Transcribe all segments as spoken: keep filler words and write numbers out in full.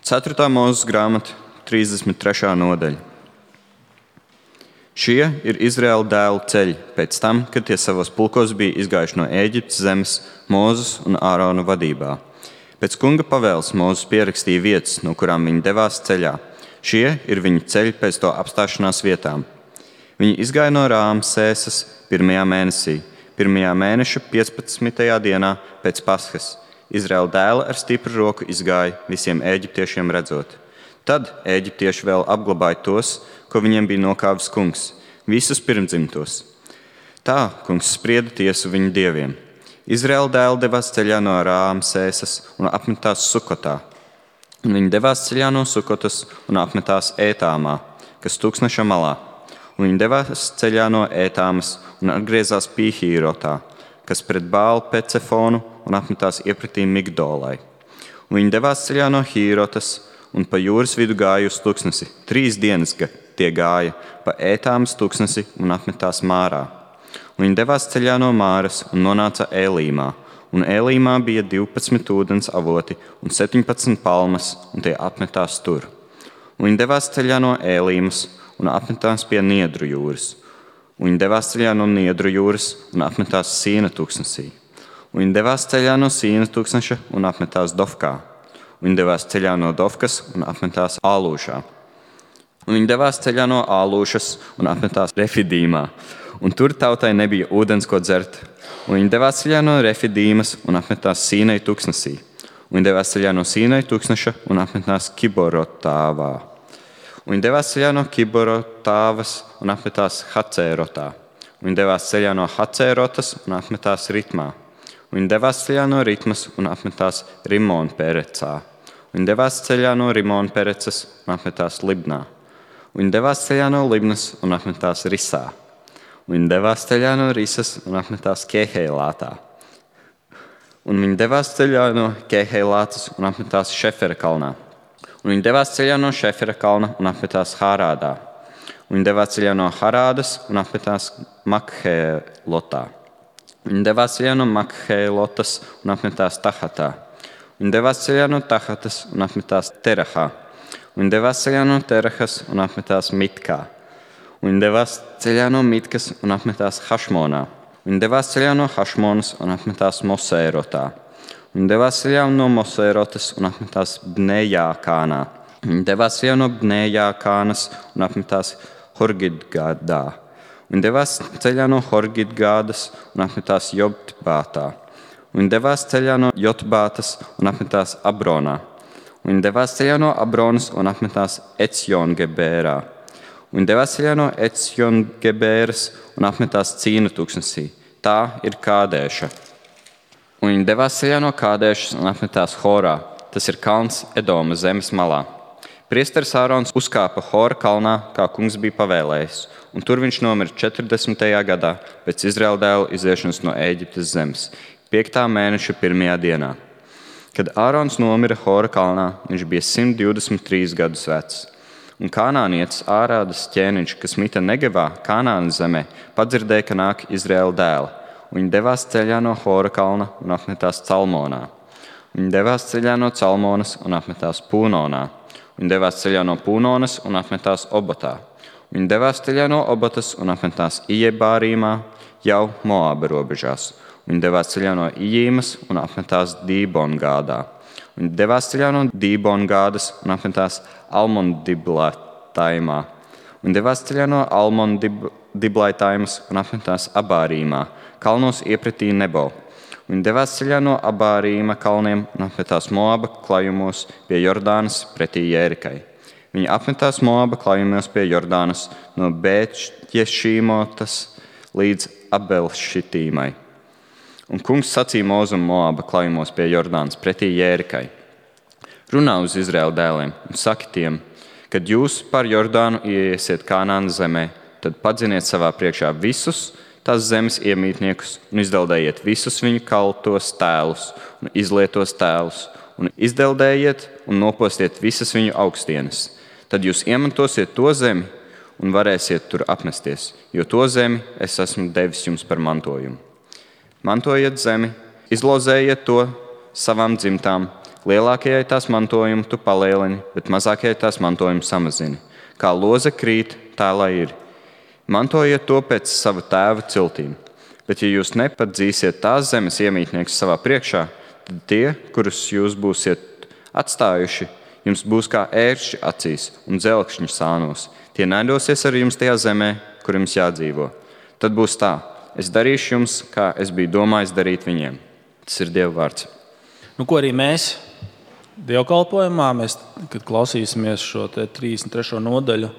ceturtā Mūzes grāmata, trīsdesmit trešā nodaļa. Šie ir Izraēla dēlu ceļi pēc tam, kad tie savos pulkos bija izgājuši no Ēģiptes zemes Mūzes un Ārona vadībā. Pēc kunga pavēles Mūzes pierakstīja vietas, no kurām viņi devās ceļā. Šie ir viņu ceļi pēc to apstāšanās vietām. Viņi izgāja no Rāmsēsas pirmajā mēnesī, pirmajā mēneša piecpadsmitajā dienā pēc Paskas. Izraēla dēli ar stipru roku izgāja visiem ēģiptiešiem redzot. Tad ēģiptieši vēl apglabāja tos, ko viņiem bija nokāvis kungs, visus pirmdzimtos. Tā kungs sprieda tiesu viņu dieviem. Izraēla dēli devās ceļā no Rāmsēsas un apmetās Sukotā. Un viņi devās ceļā no Sukotas un apmetās Ētāmā, kas tūkstneša malā. Un viņi devās ceļā no Ētāmas un atgriezās Pīhīrotā, kas pret Bālu Pecefonu un apmetās iepratī Migdolai. Un viņi devās ceļā no Hīrotas un pa jūras vidu gāja uz tūkstnesi. Trīs dienas tie gāja pa Ētāmas tūkstnesi un apmetās Mārā. Un viņi devās ceļā no Māras un nonāca Ēlīmā. Un Ēlīmā bija divpadsmit ūdens avoti un septiņpadsmit palmas, un tie apmetās tur. Un viņi devās ceļā no Ēlīmas un apmetās pie Niedru jūras. Un viņi devās ceļā no Niedru jūras un apmetās Sīna tūkstnesī. Un viņi devās ceļā no Sīna tūkstneša un apmetās Dofkā. Un viņi devās ceļā no Dofkas un apmetās Ālūšā. Un viņi devās ceļā no Ālūšas un apmetās Refidīmā. Un tur tautai nebija ūdens, ko dzert. Un viņi devās ceļā no Refidīmas un apmetās Sīnai tūkstnesī. Un viņi devās ceļā no Sīnai tūkstneša un apmetās Kiborotāvā. Un viņi devās ceļā no Kiborotāvas un apmetās Hacērotā. Un viņi devās ceļā no Hacērotas un apmetās Ritmā. Un viņi devās ceļā no Ritmas un apmetās Rimonperecā. Un viņi devās ceļā no Rimonperecas un apmetās Libnā. Un viņi devās ceļā no Libnas un apmetās Risā. Un viņi devās ceļā no Risas un apmetās Keheilātā. Un viņi devās ceļā no Keheilātas un apmetās Šefera kalnā. Un viņi devās ceļā no Šefera kalna un apmetās Hārādā. Un viņi devās ceļā no Harādas un apmetās Makhelotā. Viņi devās ceļā no Makhelotas un apmetās Tahatā. Viņi devās ceļā no Tahatas un apmetās Terahā. Viņi devās ceļā no Terahas un apmetās Mitkā. Viņi devās ceļā no Mitkas un apmetās Hašmonā. Viņi devās ceļā no Hašmonas un apmetās Mosērotā. Viņi devās ceļā no Mosērotas un apmetās Bnejākānā. Viņi devās ceļā no Bnejākānas un apmetās Horgidgadā. Viņi devās ceļā no Horgidgādas un apmetās Jotbātā. Viņi devās ceļā no Jotbātas un apmetās Abronā. Viņi devās ceļā no Abronas un apmetās Ecjongebērā. Viņi devās ceļā no Ecjongebēras un apmetās Cīna tūkstnesī. Tā ir Kādēša. Un viņi devās ceļā no Kādēšas un apmetās Horā. Tas ir kalns Edoma zemes malā. Priesteris Ārons uzkāpa Hora kalnā, kā kungs bija pavēlējis, un tur viņš nomira četrdesmitajā gadā pēc Izraēla dēlu iziešanas no Ēģiptes zemes, piektā mēneša pirmajā dienā. Kad Ārons nomira Hora kalnā, viņš bija simt divdesmit trīs gadus vecs. Un kanānietis Ārādas ķēniņš, kas mita Negevā, Kanānas zemē, padzirdēja, ka nāk Izraēla dēli. Viņi devās ceļā no Hora kalna un apmetās Calmonā. Viņi devās ceļā no Calmonas un apmetās Pūnonā. Viņi devās ceļā no Pūnonas un apmetās Obatā. Viņi devās ceļā no Obatas un apmetās Ijebārīmā, jau Moāba robežās. Viņi devās ceļā no Ijīmas un apmetās Dībongādā. Viņi devās ceļā no Dībongādas un apmetās Almondiblaitaimā. Viņi devās ceļā no Almondiblaitaimas un apmetās Abārīmā, kalnos iepratī Nebo. Viņi devās ceļā no Abārīma kalniem un apmetās Moāba klājumos pie Jordānas pretī Jērikai. Viņi apmetās Moāba klājumos pie Jordānas no Bētješīmotas līdz Abelšitīmai. Un kungs sacīja Mozum Moāba klājumos pie Jordānas pretī Jērikai: runā uz Izraēla dēliem un saki tiem, kad jūs par Jordānu ieiesiet Kanānas zemē, tad padziniet savā priekšā visus tās zemes iemītniekus un izdeldējiet visus viņu kaltos tēlus un izlietos tēlus un izdeldējiet un nopostiet visas viņu augstienes. Tad jūs iemantosiet to zemi un varēsiet tur apmesties, jo to zemi es esmu devis jums par mantojumu. Mantojiet zemi, izlozējiet to savām dzimtām, Lielākajai tās mantojumu tu palielini, bet mazākajai tās mantojumu samazini. Kā loze krīt, tā lai ir. Mantojiet to pēc sava tēva ciltīm. Bet ja jūs nepadzīsiet tās zemes iemītnieks savā priekšā, tad tie, kurus jūs būsiet atstājuši, jums būs kā ērkšķi acīs un dzelkšņi sānos. Tie naidosies ar jums tajā zemē, kur jums jādzīvo. Tad būs tā, es darīšu jums, kā es biju domājis darīt viņiem. Tas ir Dieva vārds. Nu, ko arī mēs dievkalpojumā, mēs, kad klausīsimies šo te trīsdesmit trešo nodaļu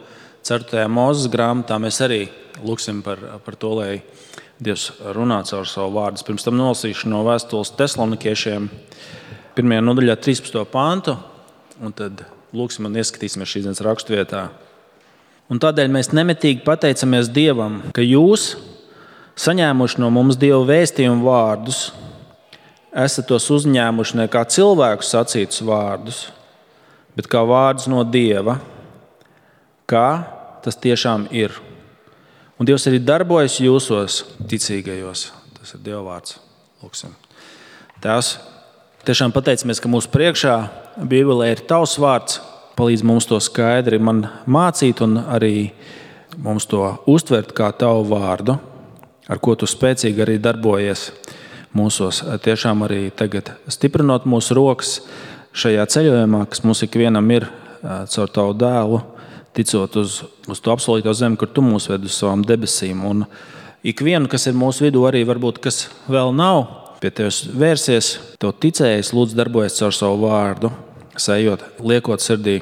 ceturtajā Mūzes grāmatā, mēs arī lūksim par, par to, lai Dievs runā caur savu vārdu. Pirms tam nolasīšu no vēstules Tesalonikiešiem pirmajā nodaļā trīspadsmito pantu, un tad lūksim un ieskatīsimies šīs dienas raksturvietā. Un tādēļ mēs nemitīgi pateicamies Dievam, ka jūs, saņēmuši no mums Dieva vēstījumu vārdus, esat tos uzņēmuši ne kā cilvēku sacītus vārdus, bet kā vārdus no Dieva, kā tas tiešām ir. Un Dievs arī darbojas jūsos ticīgajos. Tas ir Dieva vārds. Lūksim. Tēvs, tiešām pateicamies, ka mūsu priekšā Bībelē ir tavs vārds, palīdz mums to skaidri man mācīt un arī mums to uztvert kā tavu vārdu, ar ko tu spēcīgi arī darbojies mūsos. Tiešām arī tagad stiprinot mūsu rokas šajā ceļojumā, kas mums ikvienam ir caur tavu dēlu, ticot uz, uz to apsolīto zemi, kur tu mūs ved uz savām debesīm. Un ikvienu, kas ir mūsu vidū, arī varbūt, kas vēl nav pie tevis vērsies, tev ticējis, lūdzu darbojies caur savu vārdu, sējot, liekot sirdī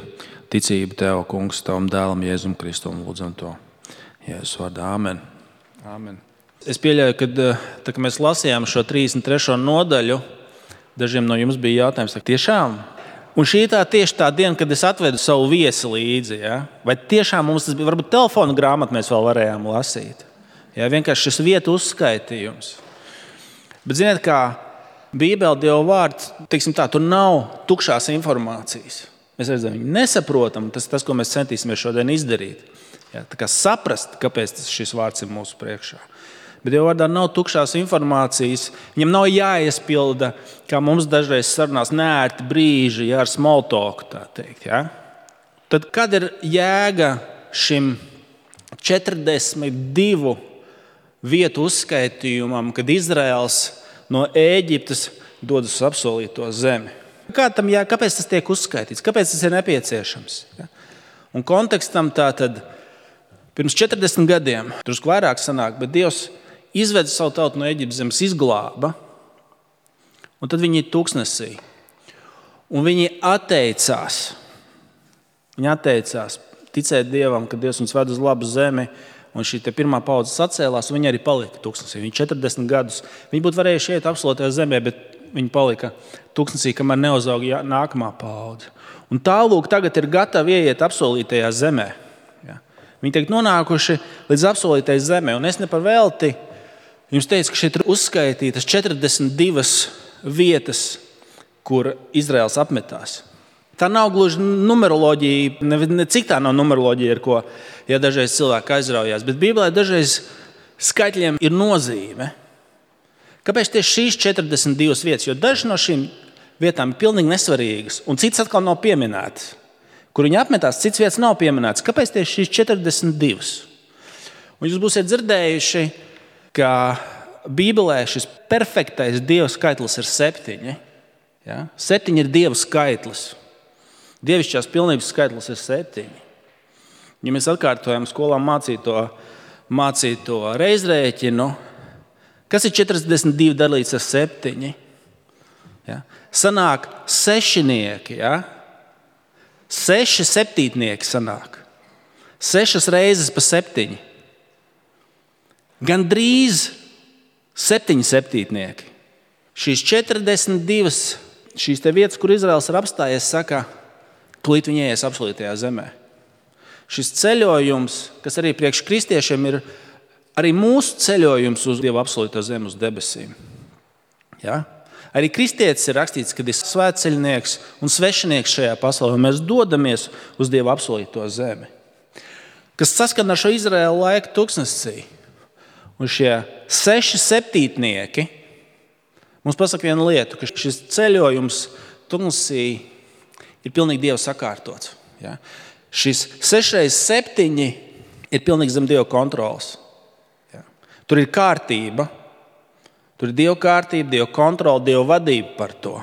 ticību tev, kungs, tavam dēlam Jēzum Kristum, lūdzam to Jēzus vārdā. Āmen. Āmen. Es pieļauju, ka tā, kad mēs lasījām šo trīsdesmit trešo nodaļu, dažiem no jums bija jautājums, tiešām? Un šī tā tieši tā diena, kad es atvedu savu viesi līdzi. Ja? Vai tiešām mums tas bija, varbūt telefona grāmatu mēs vēl varējām lasīt. Ja? Vienkārši šis vietu uzskaitījums. Bet ziniet, kā Bībele, Dieva vārds, teiksim tā, tur nav tukšās informācijas. Mēs redzam, viņu nesaprotam, tas ir tas, ko mēs centīsimies šodien izdarīt. Ja? Tā kā saprast, kāpēc šis vārds ir mūsu priekšā. Bet Dieva vārdā nav tukšās informācijas. Viņam nav jāiespilda, kā mums dažreiz sarunās, neērti brīži, ja, ar small talk, tā teikt. Ja? Tad kad ir jēga šim četrdesmit divu vietu uzskaitījumam, kad Izraels no Ēģiptes dodas uz apsolīto zemi? Kā tam jā, kāpēc tas tiek uzskaitīts? Kāpēc tas ir nepieciešams? Ja? Un kontekstam tā tad pirms četrdesmit gadiem, drusku vairāk sanāk, bet Dievs izveda savu tautu no Ēģiptes zemes, izglāba, un tad viņi ir tūkstnesī. Un viņi atteicās. Viņi atteicās ticēt Dievam, ka Dievs viņus ved uz labu zemi, un šī te pirmā paudze sacēlās, un viņi arī palika tūkstnesī. Viņi četrdesmit gadus. Viņi būtu varējuši iet apsolītajā zemē, bet viņi palika tūkstnesī, kamēr neuzauga nākamā paudze. Un tālūk tagad ir gatavi ieiet apsolītajā zemē. Ja? Viņi tiek nonākuši līdz apsolītajai zemē, un es ne par velti jums teicu, ka šeit ir uzskaitītas četrdesmit divas vietas, kur Izraels apmetās. Tā nav gluži numeroloģija, ne, ne cik tā nav numeroloģija, ar ko ja dažreiz cilvēki aizraujās, bet Bībelē dažreiz skaitļiem ir nozīme. Kāpēc tieši šīs četrdesmit divas vietas? Jo dažas no šīm vietām ir pilnīgi nesvarīgas, un citas atkal nav pieminētas. Kur viņi apmetās, cits vietas nav pieminētas. Kāpēc tieši šīs četrdesmit divas? Un jūs būsiet dzirdējuši, ka Bībelē šis perfektais Dieva skaitlis ir septiņi. Ja? Septiņi ir Dieva skaitlis. Dievišķās pilnības skaitlis ir septiņi. Ja mēs atkārtojam skolā mācīto, mācīto reizrēķinu, kas ir četrdesmit divi dalīts ar septiņi? Ja? Sanāk sešinieki. Ja? Seši septītnieki sanāk. Sešas reizes pa septiņi. Gan drīz septiņi septītnieki. Šīs četrdesmit divas šīs te vietas, kur Izraels ir apstājies, saka, tūlīt viņi ieies apsolītajā zemē. Šis ceļojums, kas arī priekš kristiešiem ir arī mūsu ceļojums uz Dieva apsolīto zemi, uz debesīm. Ja? Arī kristietis ir rakstīts, kad ir svētceļnieks un svešinieks šajā pasaulē, un mēs dodamies uz Dieva apsolīto zemi. Kas saskan ar šo Izraēlu laiku tūkstnesī. Un šie seši septītnieki mums pasaka vienu lietu, ka šis ceļojums tuksnesī ir pilnīgi Dieva sakārtots. Ja? Šis seši reizes septiņi ir pilnīgi zem Dieva kontrolas. Ja? Tur ir kārtība, tur ir Dieva kārtība, Dieva kontrola, Dieva vadība par to.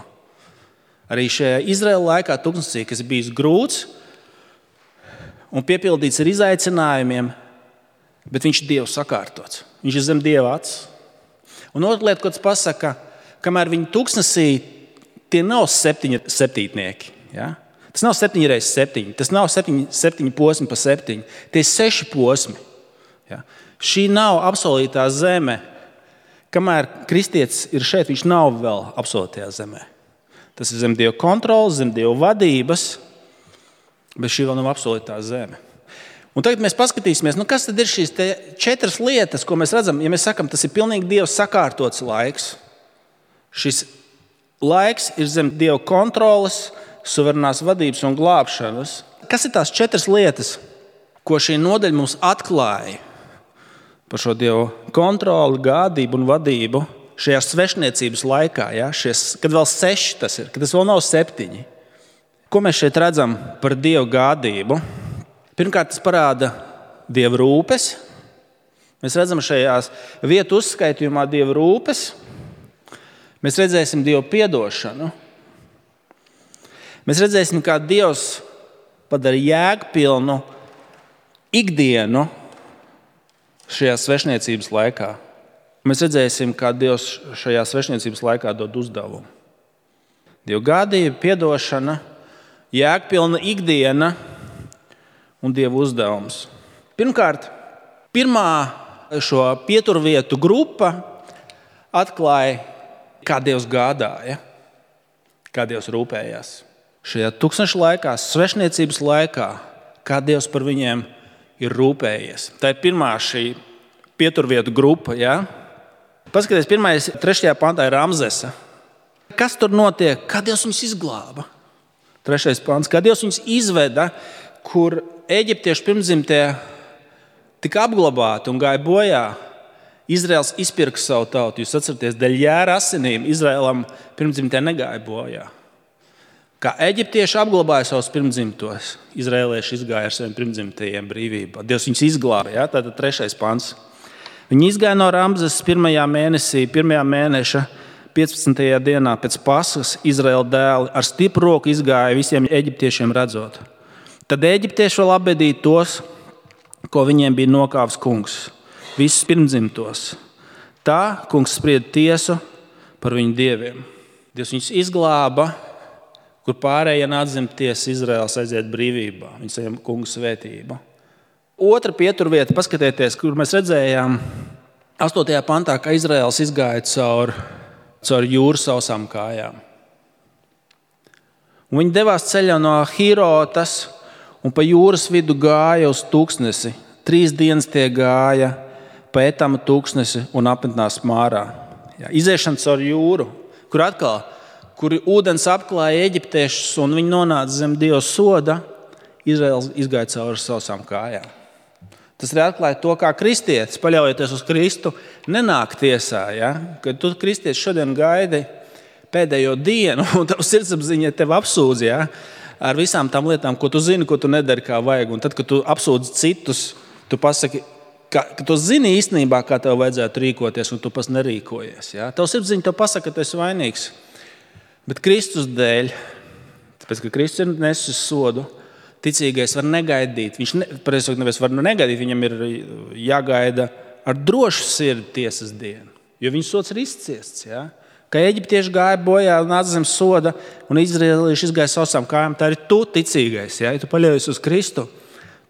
Arī šajā Izraēla laikā tuksnesī, kas ir bijis grūts un piepildīts ar izaicinājumiem, bet viņš ir Dievu sakārtots. Viņš ir zem Dieva acis. Un otra lieta, ko tas pasaka, kamēr viņi tuksnesī, tie nav septiņi septītnieki. Ja? Tas nav septiņi reizes septiņi, tas nav septiņi, septiņi posmi pa septiņi, tie ir seši posmi. Ja? Šī nav apsolītā zeme. Kamēr kristietis ir šeit, viņš nav vēl apsolītajā zemē. Tas ir zem Dieva kontrolas, zem Dieva vadības, bet šī vēl nav apsolītā zeme. Un tagad mēs paskatīsimies, nu kas tad ir šīs četras lietas, ko mēs redzam, ja mēs sakam, tas ir pilnīgi Dieva sakārtots laiks. Šis laiks ir zem Dieva kontrolas, suverenās vadības un glābšanas. Kas ir tās četras lietas, ko šī nodaļa mums atklāja par šo Dieva kontroli, gādību un vadību šajā svešniecības laikā, ja? Šies, kad vēl seši tas ir, kad tas vēl nav septiņi. Ko mēs šeit redzam par Dieva gādību? Pirmkārt, tas parāda Dieva rūpes. Mēs redzam šajās vietu uzskaitījumā Dieva rūpes. Mēs redzēsim Dieva piedošanu. Mēs redzēsim, kā Dievs padara jēgpilnu ikdienu šajā svešniecības laikā. Mēs redzēsim, kā Dievs šajā svešniecības laikā dod uzdevumu. Dieva gādība, piedošana, jēgpilna ikdiena un Dieva uzdevums. Pirmkārt, pirmā šo pieturvietu grupa atklāja, kā Dievs gādāja, kā Dievs rūpējās. Šajā tūkstneša laikā, svešniecības laikā, kā Dievs par viņiem ir rūpējies. Tā ir pirmā šī pieturvietu grupa. Ja? Paskaties, pirmais, trešajā pantā ir Ramzesa. Kas tur notiek? Kā Dievs viņus izglāba? Trešais pants. Kā Dievs viņus izveda, kur eģiptiešu pirmdzimtie tika apglabāti un gāja bojā. Izraels izpirka savu tautu. Jūs atceraties, dēļ jēra asinīm Izraēlam pirmdzimtie negāja bojā. Kā eģiptieši apglabāja savus pirmdzimtos, izraēlieši izgāja ar saviem pirmdzimtajiem brīvībā. Dievs viņus izglāba. Ja? Tātad trešais pants. Viņi izgāja no Ramzes pirmajā mēnesī, pirmajā mēneša piecpadsmitajā dienā pēc Paskas Izraēla dēli ar stipru roku izgāja visiem eģiptiešiem redzot. Tad eģiptieši vēl apbedīja tos, ko viņiem bija nokāvis kungs, visus pirmdzimtos. Tā kungs sprieda tiesu par viņu dieviem. Dievs viņus izglāba, kur pārējie nāc zem tiesas, Izraēls aiziet brīvībā, viņi saņem kungu svētību. Otra pieturvieta, paskatieties, kur mēs redzējām astotajā pantā, ka Izraēls izgāja caur, caur jūru sausām kājām. Un viņi devās ceļā no Hirotas un pa jūras vidu gāja uz tūkstnesi. Trīs dienas tie gāja pa Etama tūkstnesi un apmetnās Mārā. Jā, iziešana caur jūru, kur atkal kur ūdens apklāja eģiptiešus un viņi nonāca zem Dieva soda, Izraēls izgāja cauri sausām kājām. Tas arī atklāja to, kā kristietis, paļaujoties uz Kristu, nenāk tiesā. Ja? Kad tu kristietis šodien gaidi pēdējo dienu un tavs sirdsapziņa tevi apsūdz, ja? Ar visām tām lietām, ko tu zini, ko tu nedari kā vajag. Un tad, kad tu apsūdz citus, tu pasaki, ka, ka tu zini īstenībā, kā tev vajadzētu rīkoties, un tu pats nerīkojies. Ja? Tavs sirdsapziņa tev pasaka, ka tu esi vainīgs. Bet Kristus dēļ, tāpēc, ka Kristus ir nesis sodu, ticīgais var negaidīt. Viņš ne, nevis var negaidīt, viņam ir jāgaida ar drošu sirdi tiesas dienu, jo viņa sods ir izciests. Ja? Kā eģiptieši gāja bojā un nāca zem soda, un izraēlieši izgāja sausām kājām, tā ir tu ticīgais. Ja, ja tu paļaujies uz Kristu,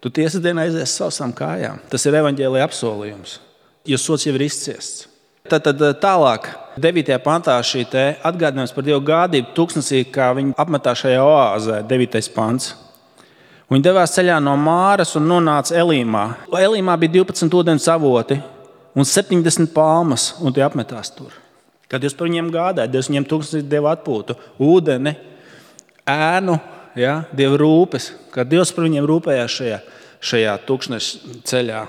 tu tiesas dienā aizies sausām kājām. Tas ir evaņģēlija apsolījums, jo sods jau ir izciests. Tad, tad tālāk, devītajā pantā šī te atgādinājums par Dievu gādību tūkstnesī, kā viņi apmetā šajā oāzē, devītais pants. Viņi devās ceļā no Māras un nonāca Elīmā. Elīmā bija divpadsmit ūdens avoti un septiņdesmit palmas, un tie apmetās tur. Kad Dievs par viņiem gādāja, Dievs viņiem tūkstnesī deva atpūtu, ūdeni, ēnu, ja, Dieva rūpes, kad Dievs par viņiem rūpējās šajā, šajā tūkstneša ceļā.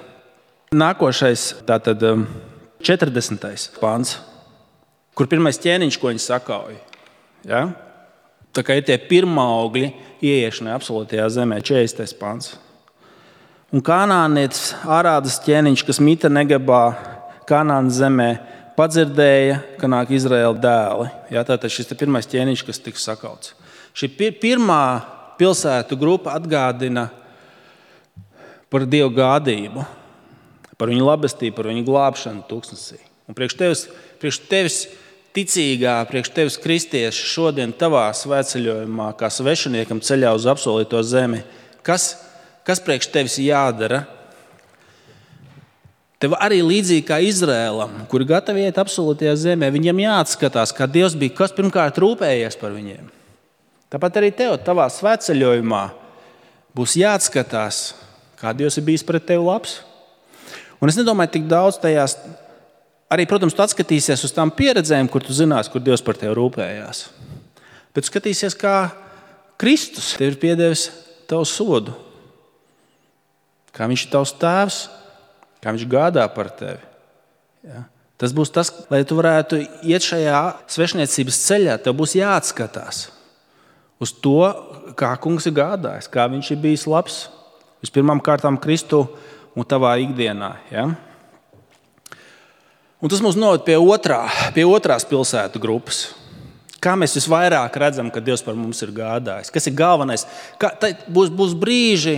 Nākošais, tātad četrdesmitais pants, kur pirmais ķēniņš, ko viņi sakauja. Ja? Tā kā ir tie pirmaugļi ieiešanai absolūtajā zemē, četrdesmitais pants. Un kanānietis Ārādas ķēniņš, kas mita Negebā, Kanānas zemē, padzirdēja, ka nāk Izraēla dēli. Jā, tātad šis ir pirmais ķēniņš, kas tiks sakauts. Šī pirmā pilsētu grupa atgādina par Dievu gādību, par viņu labestību, par viņu glābšanu tūkstnesī. Un priekš tevis, priekš tevis ticīgā, priekš tevis kristieši šodien tavā svētceļojumā, kā svešiniekam ceļā uz apsolīto zemi, kas, kas priekš tevis jādara? Tev arī līdzīgi kā Izrēlam, kuri gatavi iet absolūtajā zemē, viņiem jāatskatās, kā Dievs bija, kas pirmkārt rūpējies par viņiem. Tāpat arī tev, tavā svētceļojumā, būs jāatskatās, kā Dievs ir bijis pret tevi labs. Un es nedomāju tik daudz tajās, arī, protams, tu atskatīsies uz tām pieredzēm, kur tu zinās, kur Dievs par tevi rūpējās. Bet tu skatīsies, kā Kristus tev ir piedevis tavu sodu, kā viņš ir tavs tēvs, kā viņš gādā par tevi. Ja? Tas būs tas, lai tu varētu iet šajā svešniecības ceļā, tev būs jāatskatās uz to, kā kungs ir gādājis, kā viņš ir bijis labs. Vispirmām kārtām Kristu un tavā ikdienā. Ja? Un tas mūs noved pie, otrā, pie otrās pilsētu grupas. Kā mēs visvairāk redzam, ka Dievs par mums ir gādājis? Kas ir galvenais? Kā, būs, būs brīži,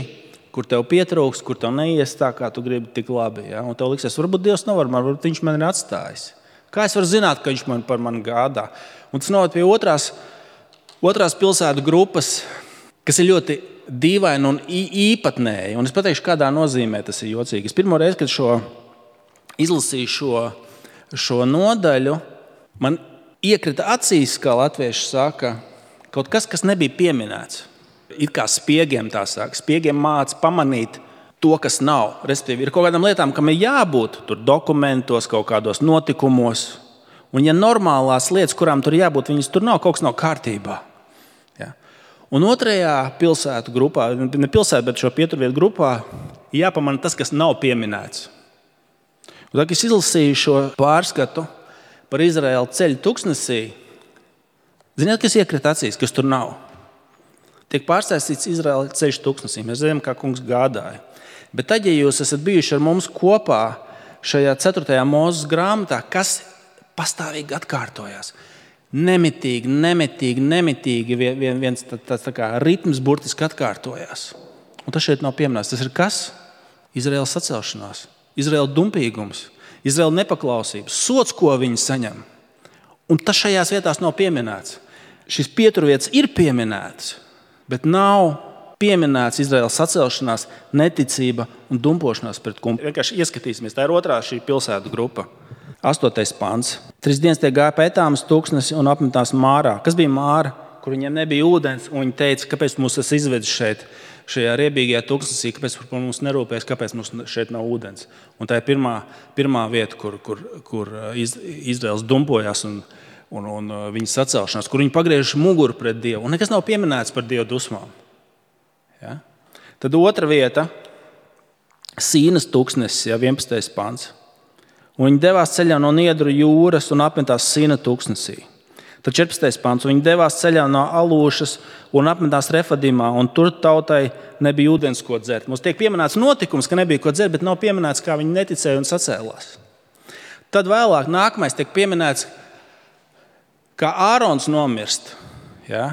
kur tev pietrūks, kur tev neies tā, kā tu gribi tik labi. Ja? Un tev liksies, varbūt Dievs nevar, varbūt viņš man ir atstājis. Kā es varu zināt, ka viņš man par mani gādā? Un tas noved pie otrās, otrās pilsētu grupas, kas ir ļoti dīvaina un īpatnēja. Un es pateikšu, kādā nozīmē tas ir jocīgi. Es pirmo reizi, kad šo, izlasīju šo, šo nodaļu, man iekrita acīs, kā latvieši saka, kaut kas, kas nebija pieminēts. It kā spiegiem tā saka. Spiegiem māca pamanīt to, kas nav. Respektīvi, ir kaut kādām lietām, kam ir jābūt tur dokumentos, kaut kādos notikumos. Un ja normālās lietas, kurām tur jābūt, viņas tur nav, kaut kas nav kārtībā. Ja? Un otrajā pilsētu grupā, ne pilsētu, bet šo pieturvietu grupā, jāpamana tas, kas nav pieminēts. Un tā, kad es izlasīju šo pārskatu par Izraēlu ceļu tūkstnesī, ziniet, kas iekrita acīs, kas tur nav? Tiek pārstāstīts Izraēla ceļš tūkstnesī. Mēs zinām, kā kungs gādāja. Bet tad, ja jūs esat bijuši ar mums kopā šajā ceturtajā Mūzes grāmatā, kas pastāvīgi atkārtojās, nemitīgi, nemitīgi, nemitīgi viens tāds tā kā ritms burtiski atkārtojās. Un tas šeit nav pieminēts. Tas ir kas? Izraēlas sacelšanās, Izraēla dumpīgums, Izraēla nepaklausības, sots, ko viņi saņem. Un tas šajās vietās nav pieminēts. Šis pieturvietas ir pieminēts, bet nav pieminēts Izraēlas sacelšanās, neticība un dumpošanās pret kungu. Vienkārši ieskatīsimies. Tā ir otrā šī pilsētu grupa. Astotais pants. Trīs dienas tie gāja pa Etāmas tūkstnesi un apmetās Mārā. Kas bija Māra? Kur viņiem nebija ūdens, un viņi teica, kāpēc mūs tas izvedis šeit, šajā riebīgajā tūkstnesī, kāpēc par mums nerūpēs, kāpēc mums šeit nav ūdens. Un tā ir pirmā, pirmā vieta, kur, kur, kur Izraēls dumpojās un Un, un viņa sacelšanās, kur viņi pagriež muguru pret Dievu. Un nekas nav pieminēts par Dievu dusmām. Ja? Tad otra vieta – Sīnas tūkstnesis, ja, vienpadsmitais pants. Un viņi devās ceļā no Niedru jūras un apmetās Sīna tūkstnesī. Tad četrpadsmitais pants. Viņi devās ceļā no Alūšas un apmetās Refadimā, un tur tautai nebija ūdens, ko dzert. Mums tiek pieminēts notikums, ka nebija ko dzert, bet nav pieminēts, kā viņi neticēja un sacēlās. Tad vēlāk nākamais tiek pieminēts, kā Ārons nomirst, ja?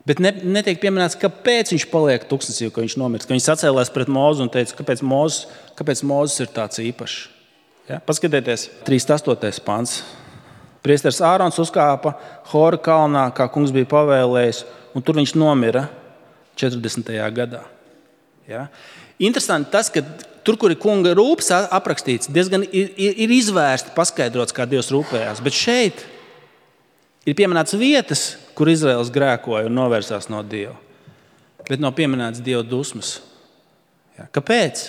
Bet ne, netiek pieminēts, kāpēc viņš paliek tūkstnesī, ka viņš nomirst, ka viņš sacēlās pret Mūzu un teica, kāpēc Mūzes, kāpēc Mūzes ir tāds īpašs. Ja? Paskatieties, trīsdesmit astotais pants. Priesteris Ārons uzkāpa Hora kalnā, kā kungs bija pavēlējis, un tur viņš nomira četrdesmitajā gadā. Ja? Interesanti tas, ka tur, kur ir kunga rūpes aprakstīts, diezgan ir, ir izvērsti paskaidrots, kā Dievs rūpējās, bet šeit ir pieminēts vietas, kur Izraēls grēkoja un novērsās no Dieva. Bet nav pieminēts Dieva dusmas. Ja. Kāpēc?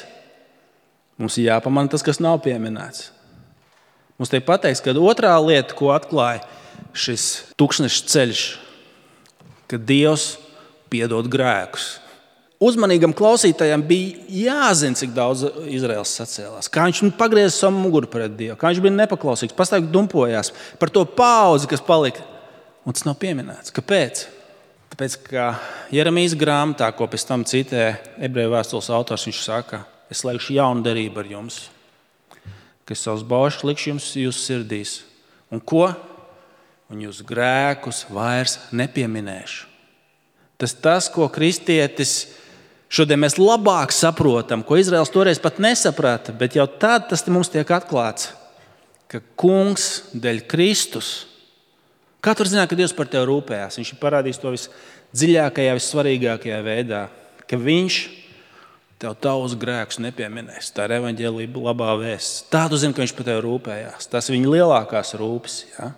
Mums ir jāpamana tas, kas nav pieminēts. Mums tiek pateikts, ka otrā lieta, ko atklāja šis tūkstneša ceļš, ka Dievs piedod grēkus. Uzmanīgam klausītājam bija jāzina, cik daudz Izraēls sacēlās. Kā viņš pagrieza savu muguru pret Dievu, kā viņš bija nepaklausīgs, pastāvīgi dumpojās par to paudzi, kas palika. Un tas nav pieminēts. Kāpēc? Tāpēc, ka Jeremijas grāmatā, ko pēc tam citē ebreju vēstules autors, viņš saka, es slēgšu jaunu derību ar jums, ka es savus baušus likšu jums jūsu sirdīs. Un ko? Un jūsu grēkus vairs nepieminēšu. Tas tas, ko kristietis šodien mēs labāk saprotam, ko Izraels toreiz pat nesaprata, bet jau tad tas mums tiek atklāts, ka kungs dēļ Kristus. Kā tu zināt, ka Dievs par tevi rūpējās? Viņš ir parādījis to visdziļākajā, vissvarīgākajā veidā, ka viņš tev tavus grēkus nepieminēs. Tā ir evaņģēlija labā vēsts. Tā tu zini, ka viņš par tevi rūpējās. Tas ir viņa lielākās rūpes, ja?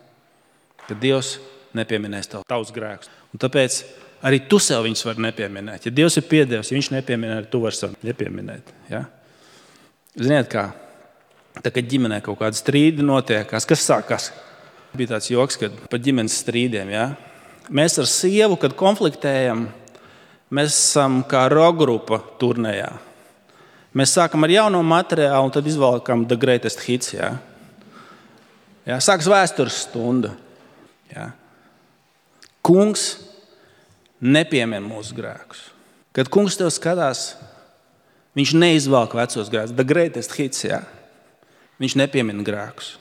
Ka Dievs nepieminēs tev tavus grēkus. Un tāpēc arī tu sev viņus vari nepieminēt. Ja Dievs ir piedevis, ja viņš nepieminē, tu vari sev nepieminēt. Ja? Ziniet kā? Tā, kad ģimenē kaut kāda strīdi notiekās, kas sākās? Bija tāds joks, kad par ģimenes strīdiem. Ja? Mēs ar sievu, kad konfliktējam, mēs esam kā rockgrupa turnējā. Mēs sākam ar jauno materiālu un tad izvalkam The Greatest Hits. Ja? Ja? Sākas vēstures stunda. Ja? Kungs nepiemina mūsu grēkus. Kad kungs tev skatās, viņš neizvalk vecos grēkus. The Greatest Hits. Ja? Viņš nepiemina grēkus.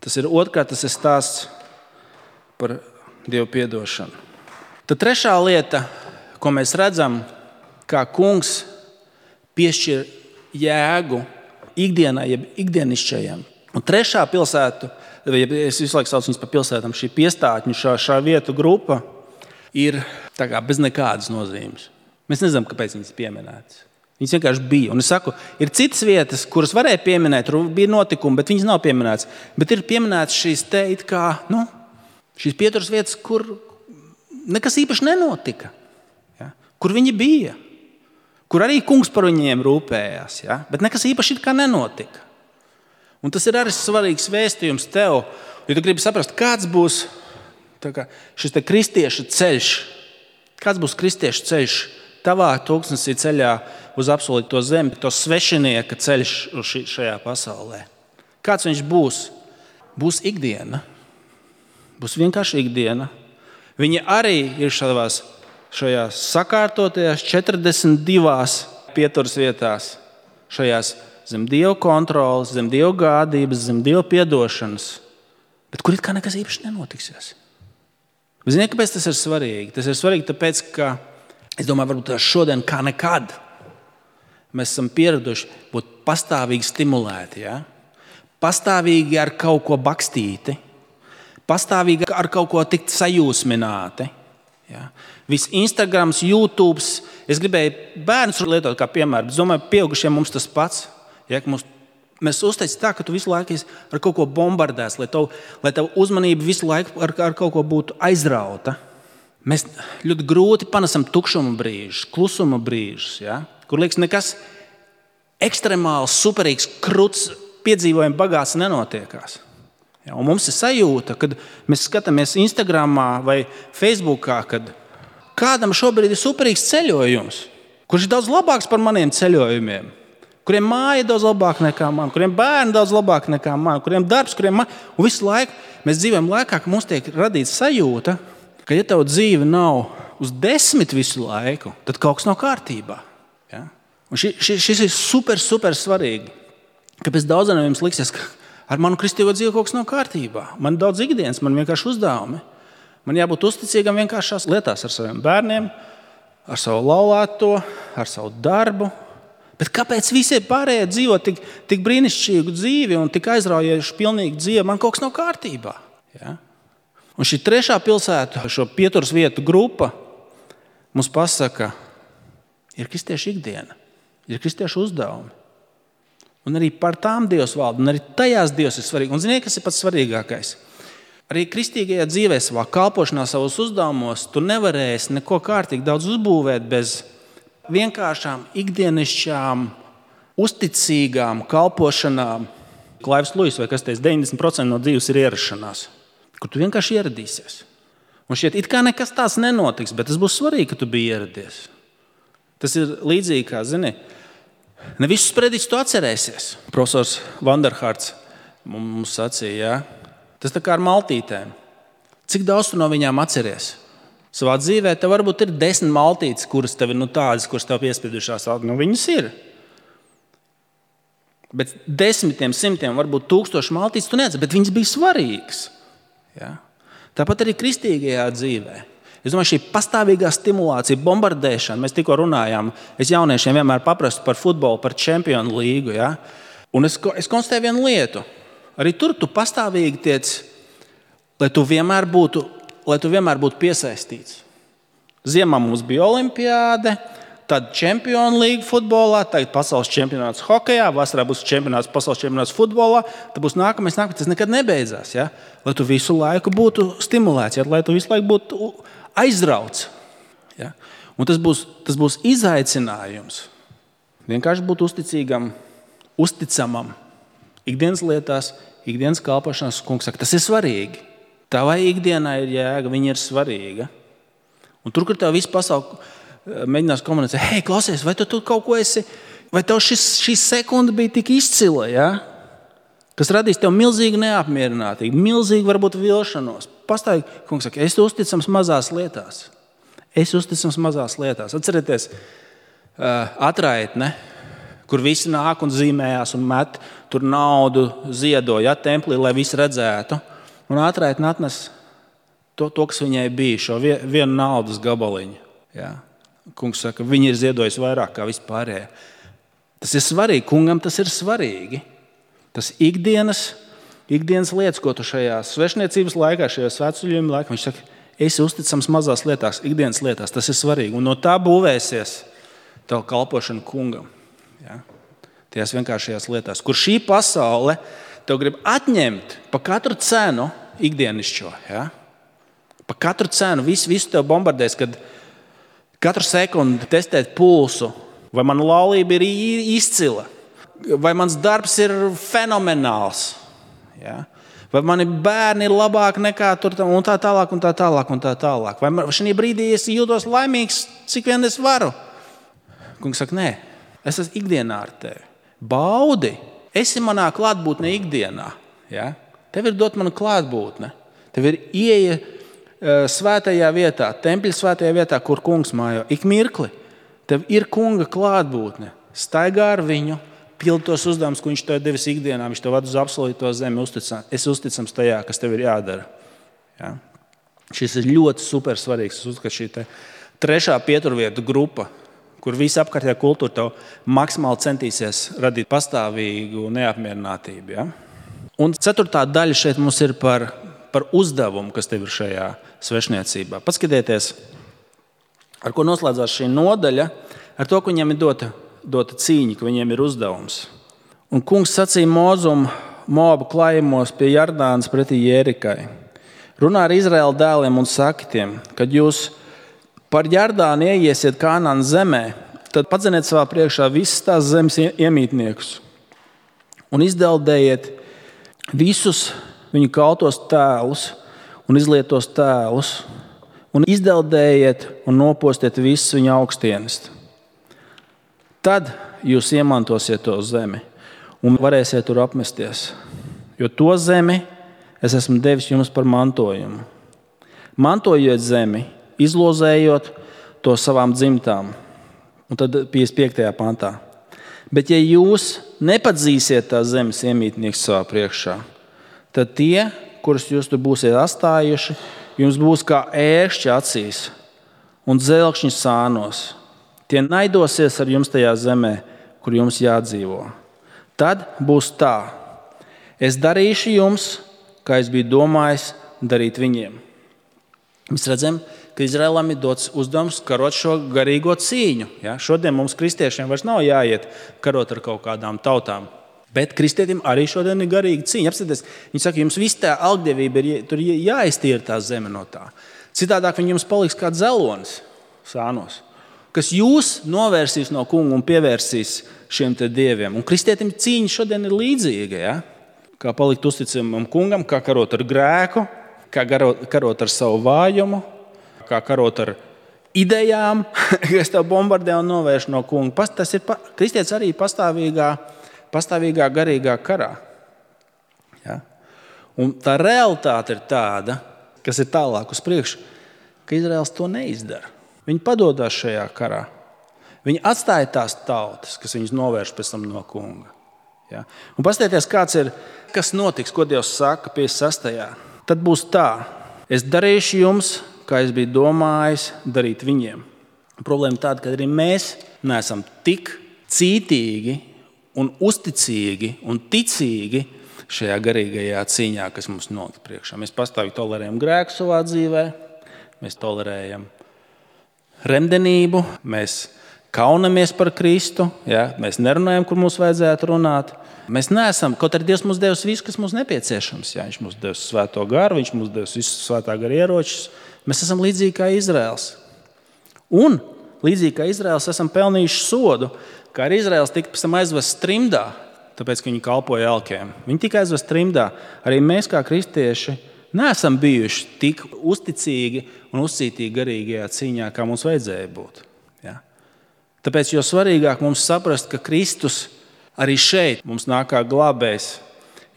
Tas ir otrkārt, tas ir stāsts par Dievu piedošanu. Tad trešā lieta, ko mēs redzam, kā kungs piešķir jēgu ikdienai, jeb ikdienišķajiem. Un trešā pilsēta, es visu laiku saucu viņus par pilsētām, šī piestātņu, šā, šā vietu grupa ir tā kā bez nekādas nozīmes. Mēs nezinām, kāpēc viņas pieminētas. Viņas vienkārši bija. Un es saku, ir citas vietas, kuras varēja pieminēt, tur bija notikumi, bet viņas nav pieminētas. Bet ir pieminētas šīs te it kā, nu, šīs pieturas vietas, kur nekas īpaši nenotika. Ja? Kur viņi bija. Kur arī kungs par viņiem rūpējās. Ja? Bet nekas īpaši it kā nenotika. Un tas ir arī svarīgs vēstījums tev, jo tu gribi saprast, kāds būs tā kā, šis te kristieša ceļš. Kāds būs kristieša ceļš tavā tūkstnesī ceļā uz apsolīto zemi, to svešinieka ceļš šajā pasaulē. Kāds viņš būs? Būs ikdiena. Būs vienkārši ikdiena. Viņa arī ir šādās, šajās sakārtotajās četrdesmit divās pieturas vietās, šajās zem Dieva kontrolas, zem Dieva gādības, zem Dieva piedošanas, bet kur it kā nekas īpaši nenotiksies. Ziniet, kāpēc tas ir svarīgi? Tas ir svarīgi tāpēc, ka es domāju, varbūt šodien kā nekad mēs esam pieraduši būt pastāvīgi stimulēti. Ja? Pastāvīgi ar kaut ko bakstīti. Pastāvīgi ar kaut ko tikt sajūsmināti. Ja? Viss Instagrams, YouTube. Es gribēju bērnus lietot kā piemēru. Es domāju, pieaugušiem mums tas pats. Ja? Mums, mēs uztaisam tā, ka tu visu laiku ar kaut ko bombardēs, lai tev, lai tev uzmanība visu laiku ar, ar kaut ko būtu aizrauta. Mēs ļoti grūti panesam tukšuma brīžus, klusuma brīžus, ja? Kur liekas nekas ekstremāls, superīgs, kruts, piedzīvojumi bagāts nenotiekās. Ja? Un mums ir sajūta, kad mēs skatāmies Instagramā vai Facebookā, kad kādam šobrīd ir superīgs ceļojums, kurš ir daudz labāks par maniem ceļojumiem, kuriem māja ir daudz labāk nekā man, kuriem bērni daudz labāk nekā man, kuriem darbs, kuriem man. Un visu laiku mēs dzīvojam laikā, ka mums tiek radīta sajūta, ka ja tev dzīve nav uz desmit visu laiku, tad kaut kas nav kārtībā. Ja? Un ši, ši, šis ir super, super svarīgi. Kāpēc daudziem jums liksies, ka ar manu kristīgo dzīvi kaut kas nav kārtībā? Man ir daudz ikdienas, man vienkārši uzdevumi. Man jābūt uzticīgam vienkāršās lietās ar saviem bērniem, ar savu laulāto, ar savu darbu. Bet kāpēc visi pārējie dzīvo tik, tik brīnišķīgu dzīvi un tik aizraujošu pilnīgu dzīvi? Man kaut kas nav kārtībā. Ja? Un šī trešā pilsēta, šo pieturas vietu grupa, mums pasaka, ir kristiešu ikdiena, ir kristiešu uzdevumi. Un arī par tām Dievs valda, un arī tajās Dievs ir svarīgi. Un ziniet, kas ir pats svarīgākais? Arī kristīgajā dzīvē, savā kalpošanā, savos uzdevumos, tu nevarēsi neko kārtīgi daudz uzbūvēt bez vienkāršām, ikdienišķām, uzticīgām kalpošanām. Klaivs Luis, vai kas teica, deviņdesmit procenti no dzīves ir ierašanās. Kur tu vienkārši ieradīsies. Un šķiet, it kā nekas tāds nenotiks, bet tas būs svarīgi, ka tu biji ieradies. Tas ir līdzīgi, kā, zini, ne visus prediķus tu atcerēsies. Profesors Vanderhārts mums sacīja, ja? Tas tā kā ar maltītēm. Cik daudz tu no viņām atceries? Savā dzīvē tev varbūt ir desmit maltītes, kuras tev ir nu, tādas, kuras tev piespiedušās. Nu, viņas ir. Bet desmitiem, simtiem, varbūt tūkstoši maltītes tu neatceries, bet viņas bija svarīgas. Ja? Tāpat arī kristīgajā dzīvē. Es domāju, šī pastāvīgā stimulācija, bombardēšana, mēs tikko runājām, es jauniešiem vienmēr paprastu par futbolu, par čempionu līgu. Ja? Un es, es konstatēju vienu lietu. Arī tur tu pastāvīgi tiec, lai tu vienmēr būtu, lai tu vienmēr būtu piesaistīts. Ziemā mums bija olimpiāde, tad čempionu līga futbolā, tagad pasaules čempionāts hokejā, vasarā būs čempionāts, pasaules čempionāts futbolā, tad būs nākamais, nākamais, tas nekad nebeidzās. Ja? Lai tu visu laiku būtu stimulēts, ja? Lai tu visu laiku būtu aizrauts. Ja? Un tas būs, tas būs izaicinājums. Vienkārši būt uzticīgam, uzticamam. Ikdienas lietās, ikdienas kalpošanās, kungs saka, tas ir svarīgi. Tavai ikdienai ir jēga, viņa ir svarīga. Un tur, kur tev visu pasauli mēģinās komunicēt, hei, klausies, vai tu, tu kaut ko esi, vai tev šis, šī sekunda bija tik izcila, ja? Kas radīs tev milzīgu neapmierinātību, milzīgu varbūt vilšanos. Pastāvīgi, kungs saka, es uzticams mazās lietās. Es uzticams mazās lietās. Atcerieties, atraitne, kur visi nāk un zīmējās un met tur naudu ziedo, ja, templī, lai visi redzētu. Un atraitne atnes to, to, kas viņai bija, šo vienu naudas gabaliņu. Ja. Kungs saka, viņi ir ziedojis vairāk kā vispārējie. Tas ir svarīgi, kungam tas ir svarīgi. Tas ikdienas, ikdienas lietas, ko tu šajā svešniecības laikā, šajā svētceļojuma laikā, viņš saka, esi uzticams mazās lietās, ikdienas lietās, tas ir svarīgi. Un no tā būvēsies tev kalpošana kungam. Ja? Tajās vienkāršajās lietās, kur šī pasaule tev grib atņemt pa katru cenu ikdienišķo. Ja? Pa katru cenu, visu, visu tev bombardēs, kad katru sekundi testēt pulsu, vai mana laulība ir izcila, vai mans darbs ir fenomenāls, ja? Vai mani bērni ir labāki nekā tur un tā tālāk, un tā tālāk, un tā tālāk. Vai šajā brīdī es jūtos laimīgs, cik vien es varu? Kungs saka, nē, es esmu ikdienā ar tevi. Baudi, esi manā klātbūtnē ikdienā. Ja? Tev ir dot mana klātbūtne. Tev ir ieeja uh, svētajā vietā, tempļa svētajā vietā, kur kungs mājo. Ik mirkli. Tev ir kunga klātbūtne. Staigā ar viņu, pildi tos uzdevumus, ko viņš tev devis ikdienā. Viņš tev ved uz apsolīto zemi. Uzticams. Es uzticams tajā, kas tev ir jādara. Ja? Šis ir ļoti super svarīgs. Es uzskatu, šī te trešā pieturvietu grupa, kur visa apkārtējā kultūra tev maksimāli centīsies radīt pastāvīgu neapmierinātību. Ja? Un ceturtā daļa šeit mums ir par, par uzdevumu, kas tev ir šajā svešniecībā. Paskatieties, ar ko noslēdzās šī nodaļa, ar to, ka viņiem ir dota, dota cīņa, ka viņiem ir uzdevums. Un kungs sacīja Mozum Moabu klājumos pie Jardānas pretī Jērikai. Runā ar Izraēla dēliem un saka tiem, kad jūs par Jardānu ieiesiet Kānānas zemē, tad padzeniet savā priekšā visas tās zemes iemītniekus un izdeldējiet visus viņu kaltos tēlus un izlietos tēlus un izdeldējiet un nopostiet visus viņu augstienes. Tad jūs iemantosiet to zemi un varēsiet tur apmesties, jo to zemi es esmu devis jums par mantojumu. Mantojiet zemi, izlozējot to savām dzimtām. Un tad piecdesmit piektajā pantā. Bet ja jūs nepadzīsiet tās zemes iemītnieks savā priekšā, tad tie, kurus jūs tur būsiet astājuši, jums būs kā ērkšķi acīs un dzelkšņi sānos. Tie naidosies ar jums tajā zemē, kur jums jādzīvo. Tad būs tā. Es darīšu jums, kā es biju domājis darīt viņiem. Mēs redzam, ka Izraēlam ir dots uzdevums karot šo garīgo cīņu. Ja? Šodien mums kristiešiem vairs nav jāiet karot ar kaut kādām tautām. Bet kristietim arī šodien ir garīga cīņa. Apstāties, viņi saka, jums viss tā algdievība ir tur jāiztīra tā zeme no tā. Citādāk viņi jums paliks kā dzelonis sānos, kas jūs novērsīs no kunga un pievērsīs šiem te dieviem. Un kristietim cīņa šodien ir līdzīga. Ja? Kā palikt uzticamam kungam, kā karot ar grēku, kā karot ar savu vājumu, kā karot ar idejām, kas tev bombardē un novērš no kunga. Tas ir kristietis arī pastāvīgā, pastāvīgā garīgā karā. Ja? Un tā realitāte ir tāda, kas ir tālāk uz priekšu. ka Izraels to neizdara. Viņi padodas šajā karā. Viņi atstāja tās tautas, kas viņus novērš pēc tam no kunga. Ja? Un paskatieties, kāds ir, kas notiks, ko Dievs saka piecdesmit sastajā. Tad būs tā, es darīšu jums, kā es biju domājis darīt viņiem. Problēma tāda, ka arī mēs neesam tik cītīgi un uzticīgi un ticīgi šajā garīgajā cīņā, kas mums nolikt priekšā. Mēs pastāvīgi tolerējam grēku savā dzīvē, mēs tolerējam remdenību, mēs kaunamies par Kristu, ja? Mēs nerunājam, kur mums vajadzētu runāt. Mēs neesam, kaut arī Dievs mums devis visu, kas mums nepieciešams. Ja? Viņš mums devis svēto garu, viņš mums devis visus svētā gara ieročus. Mēs esam līdzīgi kā Izraels. Un līdzīgi kā Izraels esam pelnījuši sodu, kā arī Izraels tika pēc tam aizvests trimdā, tāpēc, ka viņi kalpoja elkiem. Viņi tika aizvests trimdā. Arī mēs kā kristieši neesam bijuši tik uzticīgi un uzcītīgi garīgajā cīņā, kā mums vajadzēja būt. Ja? Tāpēc jo svarīgāk mums saprast, ka Kristus arī šeit mums nāk kā glābējs,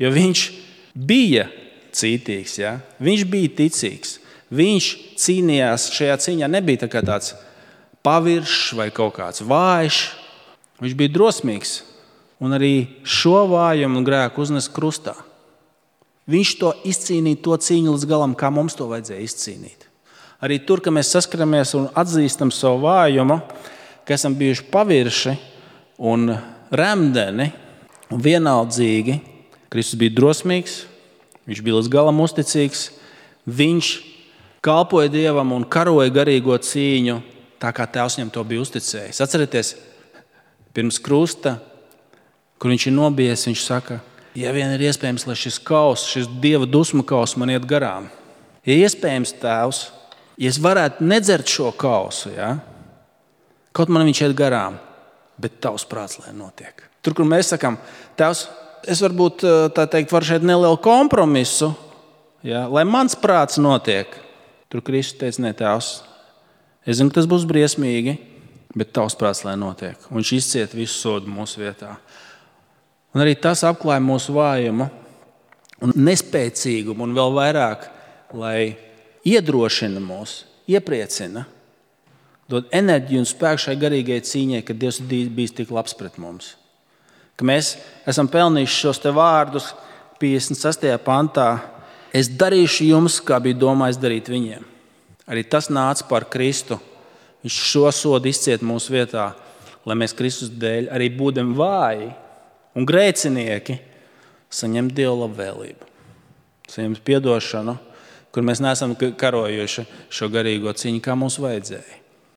jo viņš bija cītīgs, ja? Viņš bija ticīgs. Viņš cīnījās šajā cīņā, nebija tā kā tāds paviršs vai kaut kāds vājš. Viņš bija drosmīgs un arī šo vājumu un grēku uznes krustā. Viņš to izcīnīja, to cīņu līdz galam, kā mums to vajadzēja izcīnīt. Arī tur, ka mēs saskaramies un atzīstam savu vājumu, ka esam bijuši pavirši un remdeni un vienaldzīgi, Kristus bija drosmīgs, viņš bija līdz galam uzticīgs, viņš kalpoja Dievam un karoja garīgo cīņu, tā kā Tēvs viņam to bija uzticējis. Atcerieties, pirms krusta, kur viņš ir nobijies, viņš saka, ja vien ir iespējams, lai šis kaus, šis Dieva dusmu kaus man iet garām. Ja iespējams, Tēvs, ja es varētu nedzert šo kausu, ja? Kaut man viņš iet garām, bet tavs prāts, lai notiek. Tur, kur mēs sakām, Tēvs, es varbūt tā teikt, varu šeit nelielu kompromisu, ja? Lai mans prāts notiek. Tur Kristus teica, ne, Tēvs, es zinu, ka tas būs briesmīgi, bet tavs prāts, lai notiek. Un viņš izciet visu sodu mūsu vietā. Un arī tas apklāja mūsu vājumu un nespēcīgumu un vēl vairāk, lai iedrošina mūs, iepriecina, dod enerģiju un spēku šai garīgai cīņai, ka Dievs bijis tik labs pret mums. Ka mēs esam pelnījuši šos te vārdus piecdesmit sastajā pantā. Es darīšu jums, kā bija domājis darīt viņiem. Arī tas nāca par Kristu. Viņš šo sodu izciet mūsu vietā, lai mēs Kristus dēļ, arī būdam vāji un grēcinieki, saņemt Dieva labvēlību. Saņemt piedošanu, kur mēs neesam karojuši šo garīgo cīņu, kā mums vajadzēja.